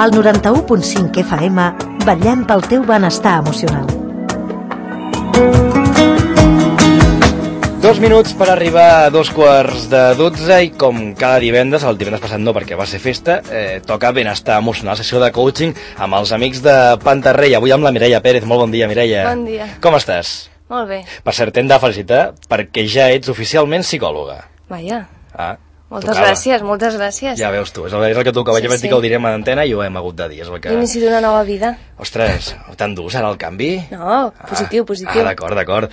Al 91.5 FM, vetllem pel teu benestar emocional. 2 minuts per arribar a 2:45 i com cada divendres, el divendres passat no perquè va ser festa, toca benestar emocional, sessió de coaching amb els amics de Pantarrey. Avui amb la Mireia Pérez. Molt bon dia, Mireia. Bon dia. Com estàs? Molt bé. Per cert, t'hem de felicitar perquè ja ets oficialment psicòloga. Vaja. Moltes gràcies. Ja veus tu, és el que tocava. Ja vaig dir que ho direm a l'antena i ho hem hagut de dir. L'inici d'una nova vida. Ostres, tan dur serà el canvi? No, positiu. D'acord.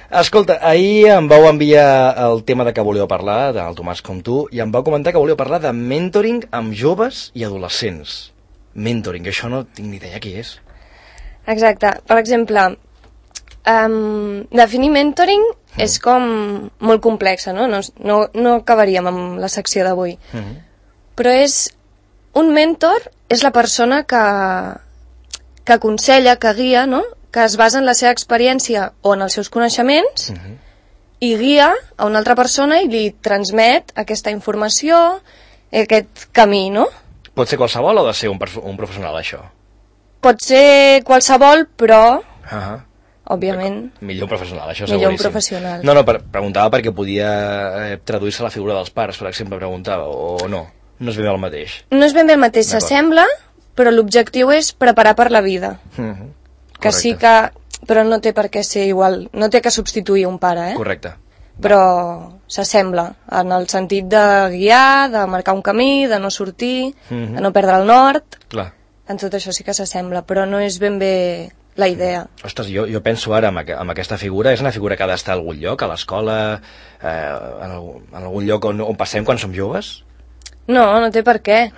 Escolta, ahir em vau enviar el tema de què volíeu parlar, del Tomàs com tu, i em vau comentar que volíeu parlar de mentoring amb joves i adolescents. Mentoring, això no tinc ni idea què és. Exacte. Per exemple, definir mentoring és com molt complexa, no? No acabaríem amb la secció d'avui. Però un mentor és la persona que aconsella, que guia, no? Que es basa en la seva experiència o en els seus coneixements i guia a una altra persona i li transmet aquesta informació, aquest camí, no? Pot ser qualsevol o ha de ser un professional, això? Pot ser qualsevol, però... òbviament... Millor un professional, això seguríssim. Millor un professional. No, preguntava perquè podia traduir-se a la figura dels pares, per exemple, preguntava, o no? No és ben bé el mateix. No és ben bé el mateix, s'assembla, però l'objectiu és preparar per la vida. Que sí que... Però no té per què ser igual, no té que substituir un pare, Correcte. Però s'assembla, en el sentit de guiar, de marcar un camí, de no sortir, de no perdre el nord. Clar. En tot això sí que s'assembla, però no és ben bé la idea. Ostres, jo penso ara en aquesta figura, és una figura que ha d'estar a algun lloc, a l'escola, en algun lloc on passem quan som joves? No té per què.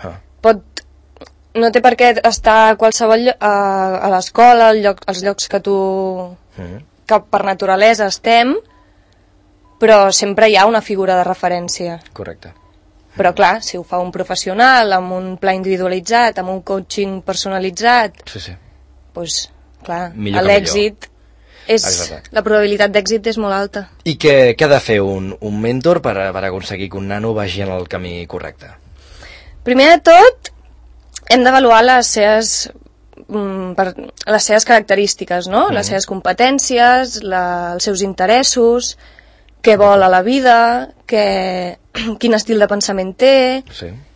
No té per què estar a qualsevol a l'escola, als llocs que que per naturalesa estem, però sempre hi ha una figura de referència. Correcte. Però clar, si ho fa un professional, amb un pla individualitzat, amb un coaching personalitzat, doncs clar, l'èxit la probabilitat d'èxit és molt alta. I què ha de fer un mentor per aconseguir que un nano vagi en el camí correcte? Primer de tot, hem d'avaluar les seves característiques, no? Les seves competències, els seus interessos, què vol a la vida, quin estil de pensament té,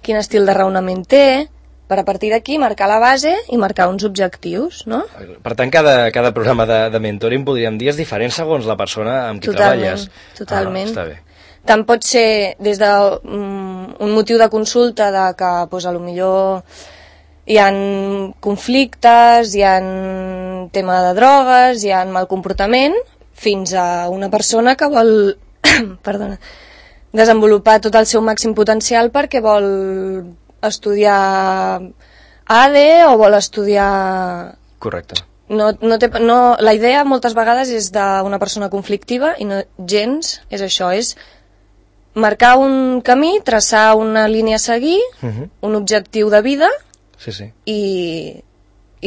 quin estil de raonament té, per a partir d'aquí marcar la base i marcar uns objectius, no? Per tant, cada programa de mentoring, podríem dir, és diferent segons la persona amb qui treballes. Totalment. Està bé. Tant pot ser des d'un motiu de consulta de que, potser hi ha conflictes, hi ha tema de drogues, hi ha mal comportament, fins a una persona que vol desenvolupar tot el seu màxim potencial perquè vol estudiar ADE o vol estudiar... Correcte. La idea moltes vegades és d'una persona conflictiva i no gens és això, és marcar un camí, traçar una línia a seguir, un objectiu de vida i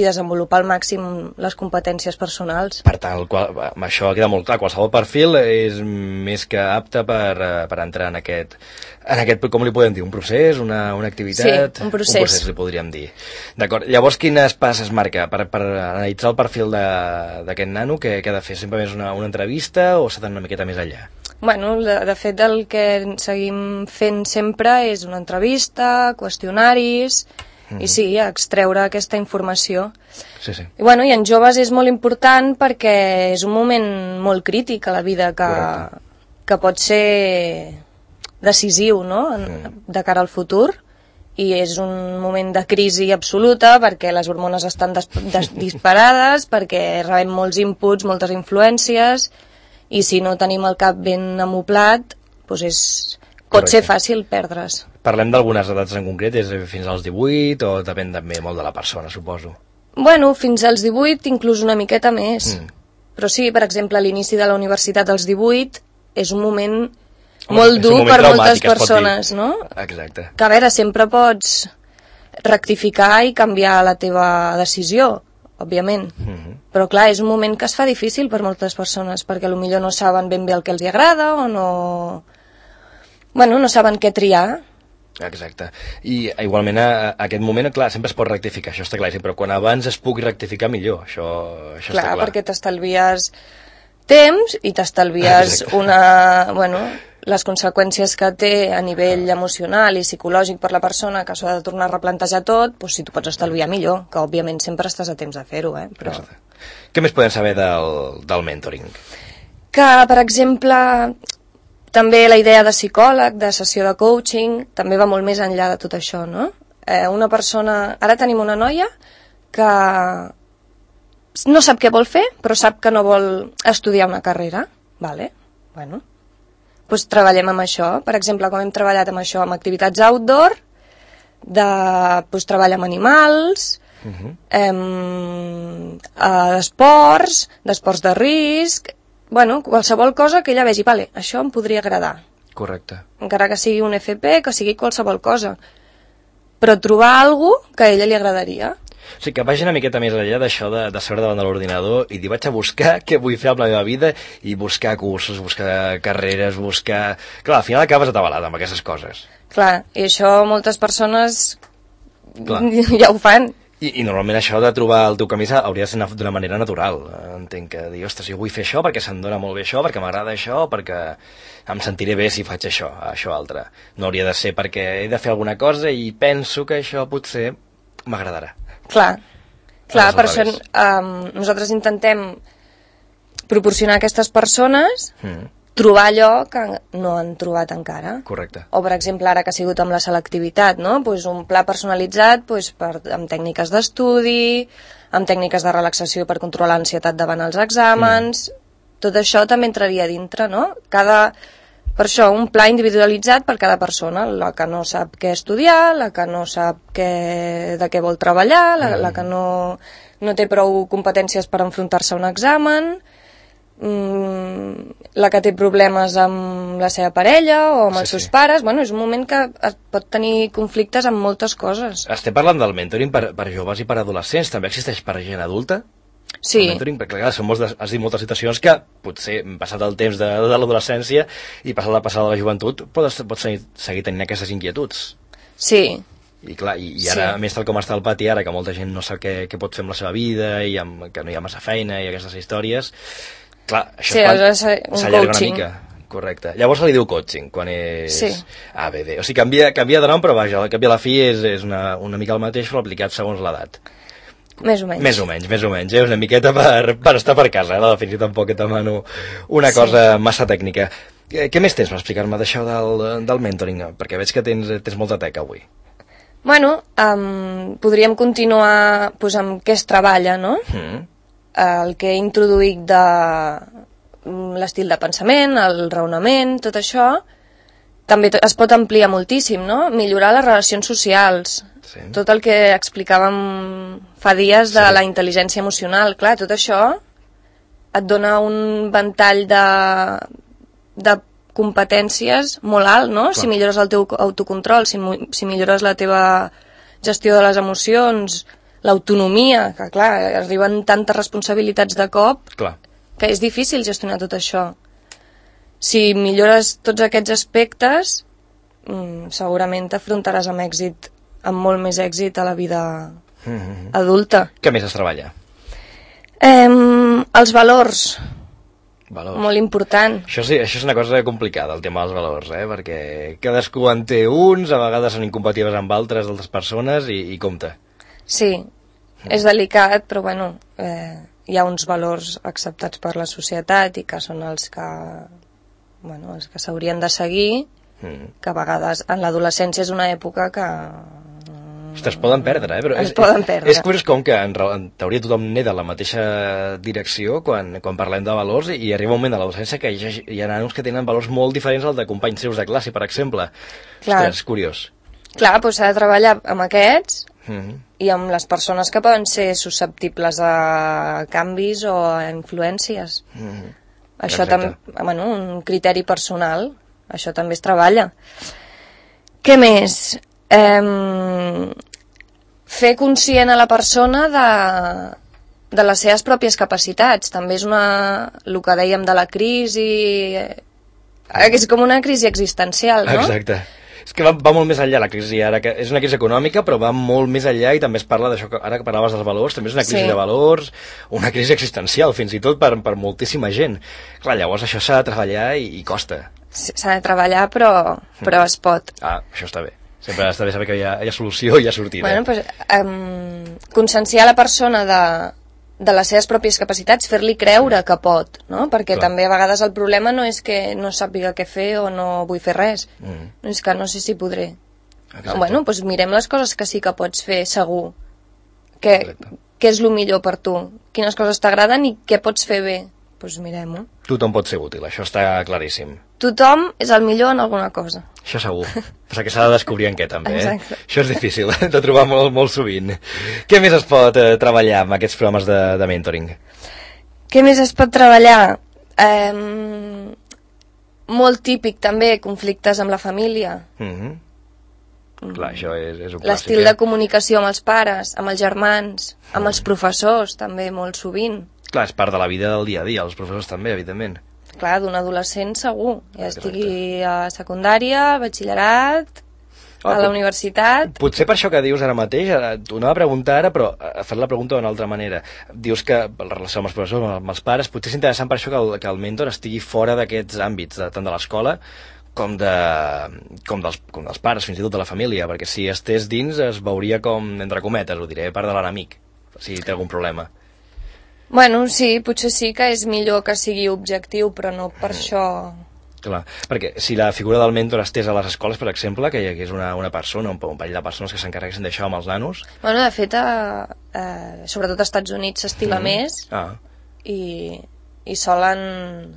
desenvolupar al màxim les competències personals. Per tant, això queda molt clar, qualsevol perfil és més que apte per entrar en aquest, com li podem dir, un procés, una activitat? Sí, un procés. Un procés li podríem dir. D'acord, llavors quines passes marca per analitzar el perfil d'aquest nano? Què ha de fer? Sempre més una entrevista o s'ha d'anar una miqueta més enllà? Bueno, de fet el que seguim fent sempre és una entrevista, qüestionaris... I sí, extreure aquesta informació. I bueno, i en joves és molt important perquè és un moment molt crític a la vida que pot ser decisiu, no?, de cara al futur, i és un moment de crisi absoluta perquè les hormones estan disparades, perquè rebem molts inputs, moltes influències, i si no tenim el cap ben amoplat, doncs pot ser fàcil perdre's. Parlem d'algunes edats en concret, és fins als 18 o depèn també molt de la persona, suposo? Bueno, fins als 18, inclús una miqueta més. Però sí, per exemple, l'inici de la universitat als 18 és un moment molt dur per moltes persones, no? Exacte. Que a veure, sempre pots rectificar i canviar la teva decisió, òbviament. Però clar, és un moment que es fa difícil per moltes persones, perquè potser no saben ben bé el que els agrada o no... Bueno, no saben què triar. Exacte. I igualment a aquest moment, clar, sempre es pot rectificar, això està claríssim, però quan abans es pugui rectificar millor, això està clar. Clar, perquè t'estalvies temps i t'estalvies les conseqüències que té a nivell emocional i psicològic per la persona, que s'ha de tornar a replantejar tot, doncs si tu pots estalviar millor, que òbviament sempre estàs a temps de fer-ho, però... Què més podem saber del mentoring? Que, per exemple, també la idea de psicòleg, de sessió de coaching, també va molt més enllà de tot això, no? Una persona... Ara tenim una noia que no sap què vol fer, però sap que no vol estudiar una carrera. Vale, bueno. Doncs treballem amb això. Per exemple, com hem treballat amb això, amb activitats outdoor, treball amb animals, d'esports de risc... Bueno, qualsevol cosa que ella vegi, vale, això em podria agradar. Correcte. Encara que sigui un FP, que sigui qualsevol cosa. Però trobar alguna que a ella li agradaria. O sigui, que vagi una miqueta més enllà d'això de seure davant de l'ordinador i dir, vaig a buscar què vull fer amb la meva vida i buscar cursos, buscar carreres, buscar... Clar, al final acabes atabalat amb aquestes coses. Clar, i això moltes persones ja ho fan. I normalment això de trobar el teu camí hauria de ser d'una manera natural. Entenc que dir, ostres, jo vull fer això perquè se'm dona molt bé això, perquè m'agrada això, perquè em sentiré bé si faig això altre. No hauria de ser perquè he de fer alguna cosa i penso que això potser m'agradarà. Clar, per això nosaltres intentem proporcionar a aquestes persones trobar allò que no han trobat encara. Correcte. O, per exemple, ara que ha sigut amb la selectivitat, no? Pues un pla personalitzat amb tècniques d'estudi, amb tècniques de relaxació per controlar l'ansietat davant els exàmens... Tot això també entraria dintre, no? Per això, un pla individualitzat per cada persona, la que no sap què estudiar, la que no sap de què vol treballar, la que no té prou competències per enfrontar-se a un examen... la que té problemes amb la seva parella o amb els seus pares. Bueno, és un moment que es pot tenir conflictes amb moltes coses. Estem parlant del mentoring per joves i per adolescents. També existeix per gent adulta? Sí. El mentoring, perquè clar, has dit moltes situacions que potser passat el temps de l'adolescència i passat la joventut pots seguir tenint aquestes inquietuds. Sí. I clar, i ara, més tal com està el pati ara, que molta gent no sap què pot fer amb la seva vida i que no hi ha massa feina i aquestes històries... Clar, això s'allarga una mica. Correcte. Llavors se li diu coaching, quan és ABD. O sigui, canvia de nom, però vaja, al cap i a la fi és una mica el mateix, però aplicat segons l'edat. Més o menys. Més o menys. Una miqueta per estar per casa, la definició tampoc et demano una cosa massa tècnica. Què més tens per explicar-me d'això del mentoring? Perquè veig que tens molta teca avui. Bueno, podríem continuar amb què es treballa, no? El que he introduït de l'estil de pensament, el raonament, tot això, també es pot ampliar moltíssim, no? Millorar les relacions socials, tot el que explicàvem fa dies de la intel·ligència emocional, clar, tot això et dona un ventall de competències molt alt, no? Clar. Si millores el teu autocontrol, si millores la teva gestió de les emocions, l'autonomia, que clar, arriben tantes responsabilitats de cop que és difícil gestionar tot això. Si millores tots aquests aspectes, segurament t'afrontaràs amb molt més èxit a la vida adulta. Què més es treballa? Els valors. Molt important. Això és una cosa complicada, el tema dels valors, perquè cadascú en té uns, a vegades són incompatibles amb altres persones i compte. Sí, és delicat, però bueno, hi ha uns valors acceptats per la societat i que són els que s'haurien de seguir, que a vegades en l'adolescència és una època que... Ostres, es poden perdre, però és curiós com que en teoria tothom neda la mateixa direcció quan parlem de valors i arriba un moment de l'adolescència que hi ha nanos que tenen valors molt diferents al de companys seus de classe, per exemple. Ostres, és curiós. Clar, doncs s'ha de treballar amb aquests i amb les persones que poden ser susceptibles a canvis o a influències. Això també, un criteri personal, això també es treballa. Què més? Fer conscient a la persona de les seves pròpies capacitats. També és el que dèiem de la crisi, és com una crisi existencial, no? Exacte. És que va molt més enllà la crisi ara, que és una crisi econòmica, però va molt més enllà i també es parla d'això, ara que parlaves dels valors, també és una crisi de valors, una crisi existencial, fins i tot per moltíssima gent. Clar, llavors això s'ha de treballar i costa. S'ha de treballar, però es pot. Això està bé. Sempre està bé saber que hi ha solució i hi ha sortida. Bueno, doncs, conscienciar la persona de les seves pròpies capacitats, fer-li creure que pot, no? Perquè també a vegades el problema no és que no sàpiga què fer o no vull fer res, és que no sé si podré. Bueno, doncs mirem les coses que sí que pots fer segur, què és el millor per tu, quines coses t'agraden i què pots fer bé, doncs mirem-ho. Tothom pot ser útil, això està claríssim. Tothom és el millor en alguna cosa. Això segur. Però que s'ha de descobrir en què, també. Exacte. Això és difícil de trobar molt sovint. Què més es pot treballar amb aquests programes de mentoring? Què més es pot treballar? Molt típic, també, conflictes amb la família. Clar, això és un clàssic. L'estil de comunicació amb els pares, amb els germans, amb els professors, també, molt sovint. Clar, és part de la vida del dia a dia, els professors també, evidentment. Clar, d'un adolescent segur, ja estigui a secundària, al batxillerat, a la universitat... Potser per això que dius ara mateix, t'ho anava a preguntar ara, però a fer la pregunta d'una altra manera. Dius que la relació amb els professors, amb els pares, potser és interessant per això que el mentor estigui fora d'aquests àmbits, tant de l'escola com dels pares, fins i tot de la família, perquè si estés dins es veuria com, entre cometes, ho diré, part de l'enemic, si té algun problema. Bueno, sí, potser sí que és millor que sigui objectiu, però no per això... Clar, perquè si la figura del mentor estès a les escoles, per exemple, que hi hagués una persona, un parell de persones que s'encarreguessin d'això amb els nanos... Bueno, de fet, sobretot als Estats Units s'estila més i solen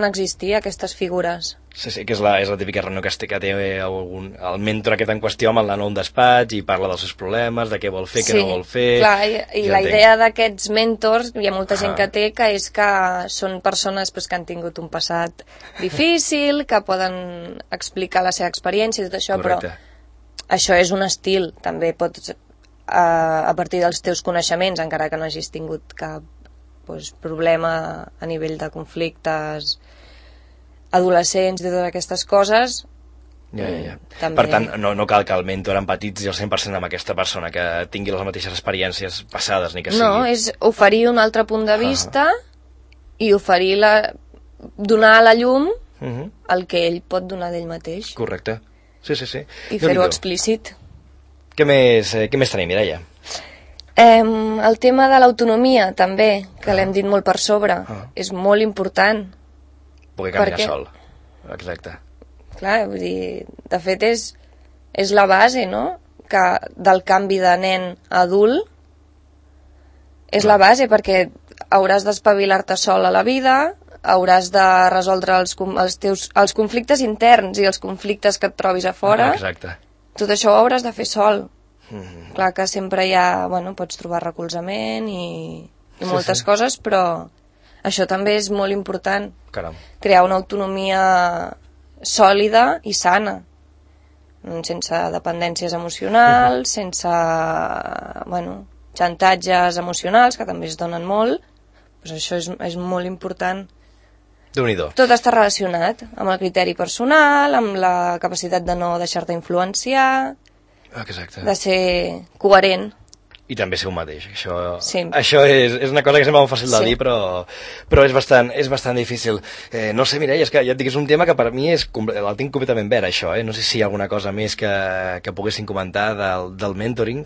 existir aquestes figures. Sí, que és la típica reunió que té el mentor aquest en qüestió amb el nano a un despatx i parla dels seus problemes, de què vol fer, què no vol fer... Sí, clar, i la idea d'aquests mentors, hi ha molta gent que té, que és que són persones que han tingut un passat difícil, que poden explicar la seva experiència i tot això, però això és un estil, també pots, a partir dels teus coneixements, encara que no hagis tingut cap problema a nivell de conflictes adolescents i totes aquestes coses. També... Per tant, no cal que el mentor empatitzi al 100% amb aquesta persona, que tingui les mateixes experiències passades, ni que sigui... No, és oferir un altre punt de vista i oferir donar a la llum el que ell pot donar d'ell mateix. Correcte. Sí. I fer-ho explícit. Què més tenim, Mireia? El tema de l'autonomia, també, que l'hem dit molt per sobre, és molt important. Poder caminar sol. Exacte. Clar, vull dir, de fet és la base, no?, del canvi de nen a adult. És la base, perquè hauràs d'espavilar-te sol a la vida, hauràs de resoldre els conflictes interns i els conflictes que et trobis a fora. Exacte. Tot això ho hauràs de fer sol. Clar que sempre pots trobar recolzament i moltes coses, però això també és molt important. Caram. Crear una autonomia sòlida i sana, sense dependències emocionals, sense xantatges emocionals, que també es donen molt. Doncs això és molt important. Déu-n'hi-do. Tot està relacionat amb el criteri personal, amb la capacitat de no deixar-te influenciar, de ser coherent. I també ser un mateix. Això és una cosa que sembla molt fàcil de dir, però és bastant difícil. No sé, Mireia, és que ja et dic, és un tema que per mi el tinc completament verd, això. No sé si hi ha alguna cosa més que poguessin comentar del mentoring,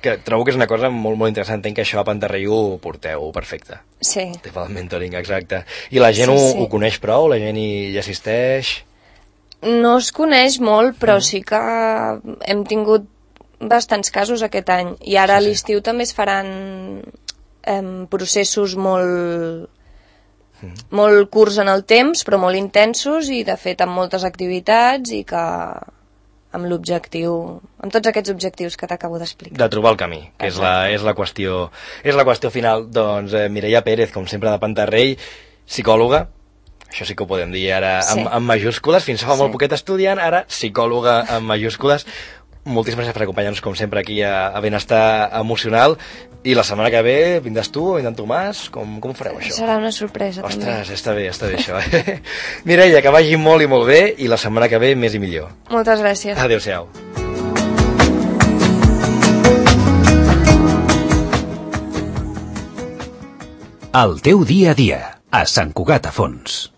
que trobo que és una cosa molt, molt interessant. Entenc que això a Pantarrelló ho porteu perfecte. Sí. El tema del mentoring, exacte. I la gent ho coneix prou? La gent hi assisteix? No es coneix molt, però sí que hem tingut bastants casos aquest any, i ara a l'estiu també es faran processos molt curts en el temps, però molt intensos, i de fet amb moltes activitats, i que amb l'objectiu, amb tots aquests objectius que t'acabo d'explicar. De trobar el camí, que és la qüestió final. Doncs Mireia Pérez, com sempre, de Pantarrell, psicòloga, això sí que ho podem dir ara amb majúscules, fins fa molt poquet estudiant, ara psicòloga amb majúscules. moltíssimes gràcies per acompanyar-nos, com sempre, aquí a Benestar Emocional. I la setmana que ve vindràs tu o vindrà en Tomàs? Com ho fareu, això? Serà una sorpresa, Ostres, també. està bé això. Mireia, que vagi molt i molt bé, i la setmana que ve més i millor. Moltes gràcies. Adéu-siau. El teu dia a dia, a Sant Cugat a Fons.